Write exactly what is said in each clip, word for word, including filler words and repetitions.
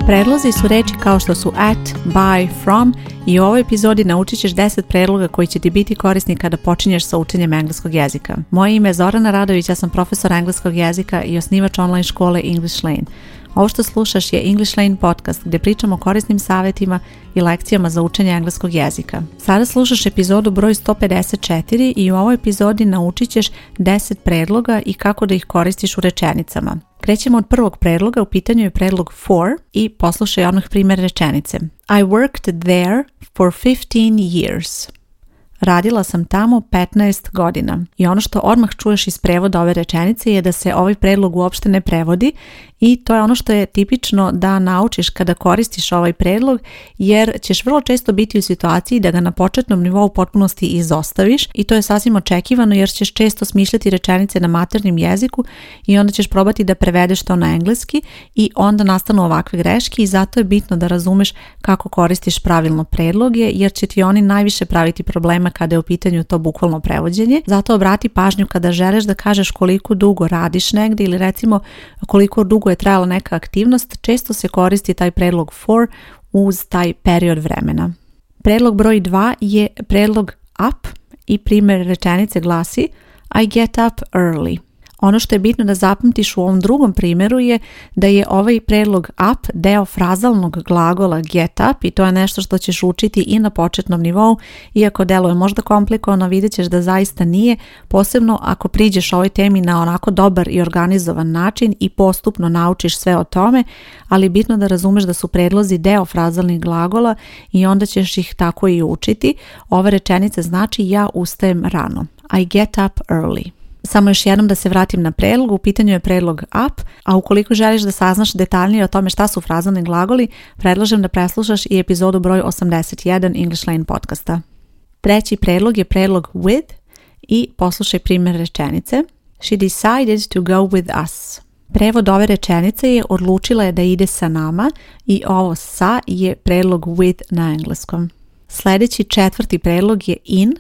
Predlozi su reči kao što su at, by, from i u ovoj epizodi naučit ćeš deset predloga koji će ti biti korisni kada počinješ sa učenjem engleskog jezika. Moje ime je Zorana Radović, ja sam profesor engleskog jezika i osnivač online škole English Lane. Ovo što slušaš je English Lane podcast gdje pričamo o korisnim savjetima i lekcijama za učenje engleskog jezika. Sada slušaš epizodu broj sto pedeset četiri i u ovoj epizodi naučit ćeš deset predloga i kako da ih koristiš u rečenicama. Krećemo od prvog predloga, u pitanju je predlog for i poslušaj odmah primjer rečenice. I worked there for fifteen years. Radila sam tamo petnaest godina. I ono što odmah čuješ iz prevoda ove rečenice je da se ovaj predlog uopšte ne prevodi i to je ono što je tipično da naučiš kada koristiš ovaj predlog, jer ćeš vrlo često biti u situaciji da ga na početnom nivou u potpunosti izostaviš i to je sasvim očekivano jer ćeš često smišljati rečenice na maternjem jeziku i onda ćeš probati da prevedeš to na engleski i onda nastanu ovakve greške i zato je bitno da razumeš kako koristiš pravilno predloge jer će ti oni najviše praviti problema kada je u pitanju to bukvalno prevođenje. Zato obrati pažnju kada želiš da kažeš koliko dugo radiš negdje ili recimo koliko dugo je trajala neka aktivnost, često se koristi taj predlog for uz taj period vremena. Predlog broj dva je predlog up i primjer rečenice glasi I get up early. Ono što je bitno da zapamtiš u ovom drugom primjeru je da je ovaj predlog up deo frazalnog glagola get up i to je nešto što ćeš učiti i na početnom nivou, iako deluje možda komplikovano, vidjet ćeš da zaista nije, posebno ako priđeš ovoj temi na onako dobar i organizovan način i postupno naučiš sve o tome, ali je bitno da razumeš da su predlozi deo frazalnih glagola i onda ćeš ih tako i učiti. Ova rečenica znači ja ustajem rano. I get up early. Samo još jednom da se vratim na predlog, u pitanju je predlog up, a ukoliko želiš da saznaš detaljnije o tome šta su frazalni glagoli, predlažem da preslušaš i epizodu broj osamdeset jedan English Lane podcasta. Treći predlog je predlog with i poslušaj primjer rečenice. She decided to go with us. Prevod ove rečenice je odlučila je da ide sa nama i ovo sa je predlog with na engleskom. Sljedeći četvrti predlog je in.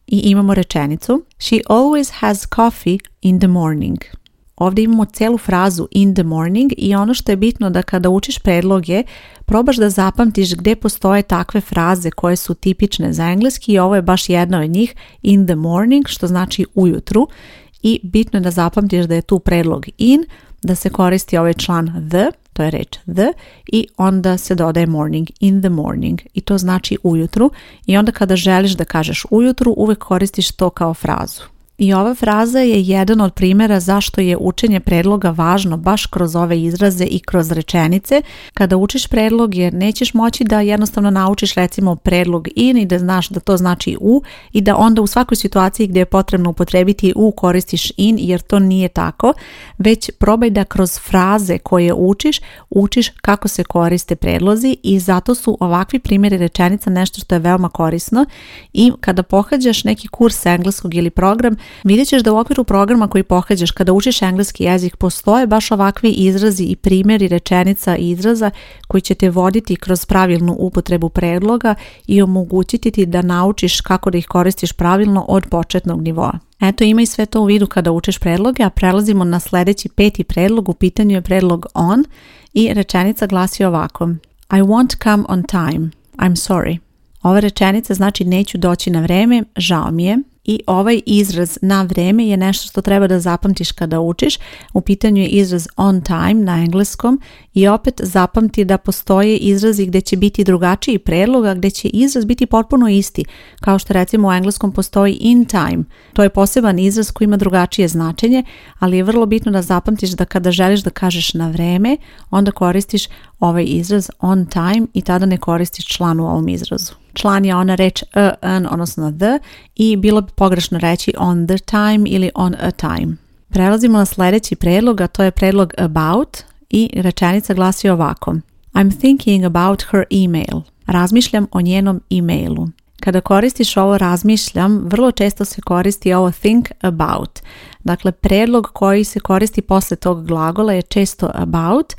I imamo rečenicu She always has coffee in the morning. Ovdje imamo celu frazu in the morning i ono što je bitno da kada učiš predloge probaš da zapamtiš gdje postoje takve fraze koje su tipične za engleski i ovo je baš jedna od njih in the morning što znači ujutru i bitno je da zapamtiš da je tu predlog in, da se koristi ovaj član the, to je reč the i onda se dodaje morning, in the morning i to znači ujutru i onda kada želiš da kažeš ujutru uvek koristiš to kao frazu. I ova fraza je jedan od primjera zašto je učenje predloga važno baš kroz ove izraze i kroz rečenice. Kada učiš predlog jer nećeš moći da jednostavno naučiš recimo predlog in i da znaš da to znači u i da onda u svakoj situaciji gdje je potrebno upotrebiti u koristiš in jer to nije tako, već probaj da kroz fraze koje učiš, učiš kako se koriste predlozi i zato su ovakvi primjeri rečenica nešto što je veoma korisno i kada pohađaš neki kurs engleskog ili program, vidjet ćeš da u okviru programa koji pohađaš kada učiš engleski jezik postoje baš ovakvi izrazi i primjeri rečenica i izraza koji će te voditi kroz pravilnu upotrebu predloga i omogućiti ti da naučiš kako da ih koristiš pravilno od početnog nivoa. Eto, imaj sve to u vidu kada učiš predloge, a prelazimo na sljedeći peti predlog, u pitanju je predlog on i rečenica glasi ovako I won't come on time, I'm sorry. Ova rečenica znači neću doći na vreme, žao mi je. I ovaj izraz na vreme je nešto što treba da zapamtiš kada učiš. U pitanju je izraz on time na engleskom i opet zapamti da postoje izrazi gdje će biti drugačiji predlog, a gdje će izraz biti potpuno isti. Kao što recimo u engleskom postoji in time. To je poseban izraz koji ima drugačije značenje, ali je vrlo bitno da zapamtiš da kada želiš da kažeš na vreme, onda koristiš ovaj izraz on time i tada ne koristiš član u ovom izrazu. Član je ona reč a, an, odnosno the i bilo bi pogrešno reći on the time ili on a time. Prelazimo na sljedeći predlog, a to je predlog about i rečenica glasi ovako I'm thinking about her email. Razmišljam o njenom e-mailu. Kada koristiš ovo razmišljam, vrlo često se koristi ovo think about. Dakle, predlog koji se koristi posle tog glagola je često about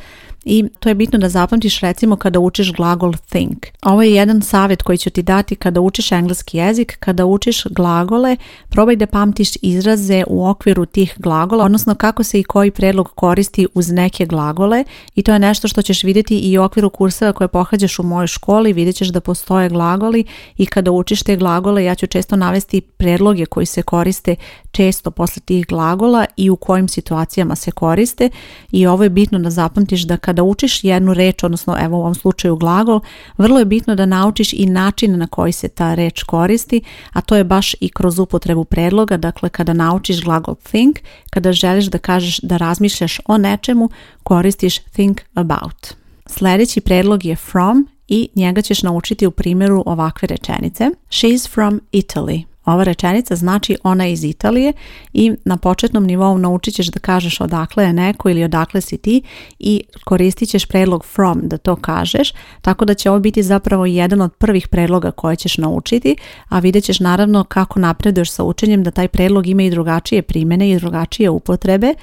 i to je bitno da zapamtiš recimo kada učiš glagol think. Ovo je jedan savjet koji ću ti dati kada učiš engleski jezik. Kada učiš glagole, probaj da pamtiš izraze u okviru tih glagola, odnosno kako se i koji predlog koristi uz neke glagole, i to je nešto što ćeš vidjeti i u okviru kurseva koje pohađaš u mojoj školi. Vidjet ćeš da postoje glagoli i kada učiš te glagole ja ću često navesti predloge koji se koriste često posle tih glagola i u kojim situacijama se koriste, i ovo je bitno da zapamtiš da kada učiš jednu reč, odnosno evo u ovom slučaju glagol, vrlo je bitno da naučiš i način na koji se ta reč koristi, a to je baš i kroz upotrebu predloga. Dakle, kada naučiš glagol think, kada želiš da kažeš da razmišljaš o nečemu, koristiš think about. Sljedeći predlog je from i njega ćeš naučiti u primjeru ovakve rečenice. She's from Italy. Ova rečenica znači ona je iz Italije i na početnom nivou naučit ćeš da kažeš odakle je neko ili odakle si ti i koristit ćeš predlog from da to kažeš, tako da će ovo biti zapravo jedan od prvih predloga koje ćeš naučiti, a vidjet ćeš naravno kako napreduješ sa učenjem da taj predlog ima i drugačije primjene i drugačije upotrebe.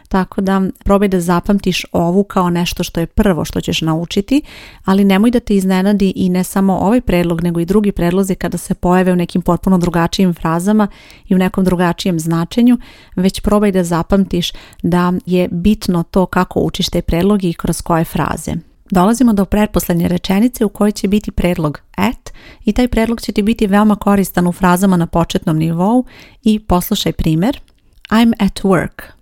Tako da probaj da zapamtiš ovu kao nešto što je prvo što ćeš naučiti, ali nemoj da te iznenadi i ne samo ovaj predlog, nego i drugi predlozi kada se pojave u nekim potpuno drugačijim frazama i u nekom drugačijem značenju, već probaj da zapamtiš da je bitno to kako učiš te predloge i kroz koje fraze. Dolazimo do pretposlednje rečenice u kojoj će biti predlog at i taj predlog će ti biti veoma koristan u frazama na početnom nivou i poslušaj primjer. I'm at work.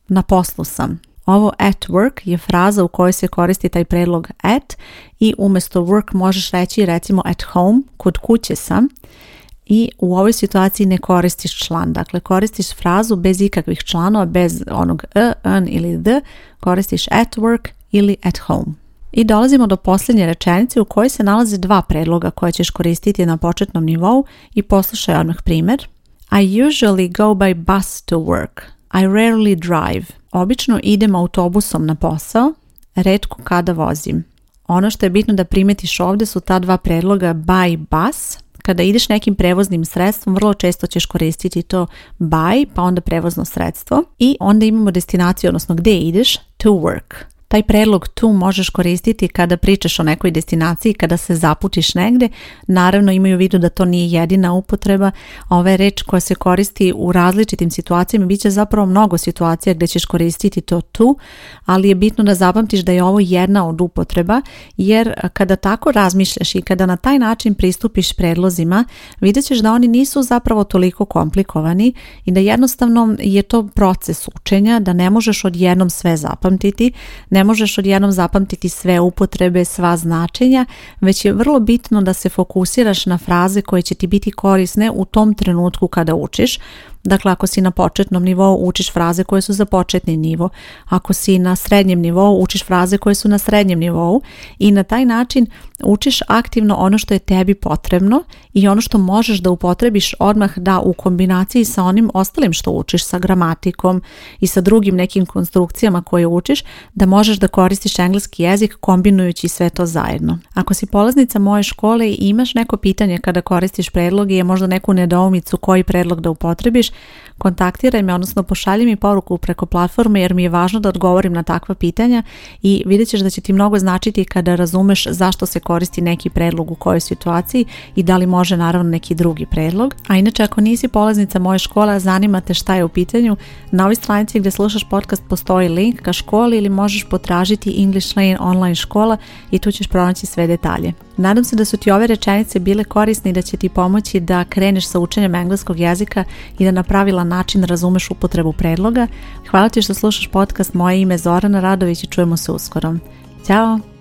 Na poslu sam. Ovo at work je fraza u kojoj se koristi taj predlog at i umjesto work možeš reći recimo at home, kod kuće sam, i u ovoj situaciji ne koristiš član. Dakle, koristiš frazu bez ikakvih članova, bez onog e, an ili the, koristiš at work ili at home. I dolazimo do posljednje rečenice u kojoj se nalaze dva predloga koje ćeš koristiti na početnom nivou i poslušaj odmah primjer. I usually go by bus to work. I rarely drive. Obično idem autobusom na posao, retko kada vozim. Ono što je bitno da primetiš ovdje su ta dva predloga by bus. Kada ideš nekim prevoznim sredstvom, vrlo često ćeš koristiti to by, pa onda prevozno sredstvo. I onda imamo destinaciju, odnosno gdje ideš, to work. Taj predlog to možeš koristiti kada pričaš o nekoj destinaciji, kada se zaputiš negde. Naravno imaju u vidu da to nije jedina upotreba. Ova je reč koja se koristi u različitim situacijama. Biće zapravo mnogo situacija gdje ćeš koristiti to to, ali je bitno da zapamtiš da je ovo jedna od upotreba, jer kada tako razmišljaš i kada na taj način pristupiš predlozima, vidjet ćeš da oni nisu zapravo toliko komplikovani i da jednostavno je to proces učenja, da ne možeš odjednom sve zapamtiti. Ne možeš odjednom zapamtiti sve upotrebe, sva značenja, već je vrlo bitno da se fokusiraš na fraze koje će ti biti korisne u tom trenutku kada učiš. Dakle, ako si na početnom nivou, učiš fraze koje su za početni nivo. Ako si na srednjem nivou, učiš fraze koje su na srednjem nivou i na taj način učiš aktivno ono što je tebi potrebno i ono što možeš da upotrebiš odmah da u kombinaciji sa onim ostalim što učiš, sa gramatikom i sa drugim nekim konstrukcijama koje učiš, da možeš da koristiš engleski jezik kombinujući sve to zajedno. Ako si polaznica moje škole i imaš neko pitanje kada koristiš predloge i je možda neku nedoumicu koji predlog da upotrebiš, kontaktiraj me, odnosno pošalji mi poruku preko platforme, jer mi je važno da odgovorim na takva pitanja i vidjet ćeš da će ti mnogo značiti kada razumeš zašto se koristi neki predlog u kojoj situaciji i da li može naravno neki drugi predlog. A inače, ako nisi polaznica moje škole, zanima te šta je u pitanju, na ovoj stranici gdje slušaš podcast postoji link ka školi ili možeš potražiti English Lane online škola i tu ćeš pronaći sve detalje. Nadam se da su ti ove rečenice bile korisne i da će ti pomoći da kreneš sa učenjem engleskog jezika i da na pravilan način razumeš upotrebu predloga. Hvala ti što slušaš podcast. Moje ime je Zorana Radović i čujemo se uskoro. Ćao!